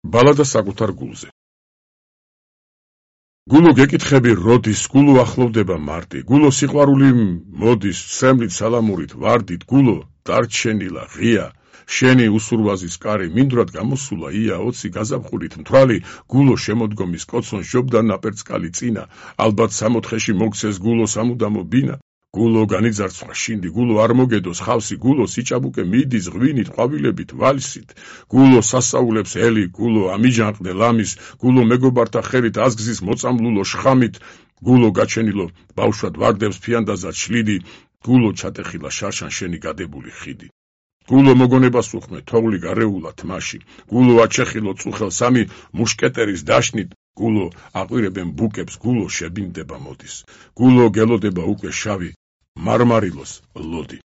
ბალადა საკუთარ გულზე. გულო გეკითხები როდის, გულო ახლოვდება მარტი, გულო სიყვარული მოდის, სრემლით სალამურით, ვარდით, გულო დარჩენილა, ღია, შენი უსურვაზის კარი, მინდვრად გამოსულა, ია, ოცი გაზაფხულით მთვალი, გულო შემოდგომის კოცონ ჟობდა ნაპერწკალი წინა, ალბათ სამოთხეში მოგცეს გულო სამუდამო ბინა, გულო განიძარცვა შინდი, გულო არ მოგედოს ხავსი, გულო სიჭაბუკე მიდის ღვინით, ყვავილებით, ვალსით, გულო სასაულებს ელი, გულო ამიჯანყდე ლამის, გულო მეგობართა ხელით აზგზის მოწამლულო შხამით, გულო გაჩენილო ბავშვად ვარდებს ფიანდაზად შლიდი, გულო ჩატეხილა შარშან შენი გადებული ხიდი. გულო მოგონებას უხმე თოვლი გარეულა თმაში, გულო აჩეხილო წუხელ სამი მუშკეტერის დაშნით, გულო აყვირებენ ბუკებს, გულო შებინდება მოდის, გულო გელოდება უკვე შავი მარმარილოს ლოდი.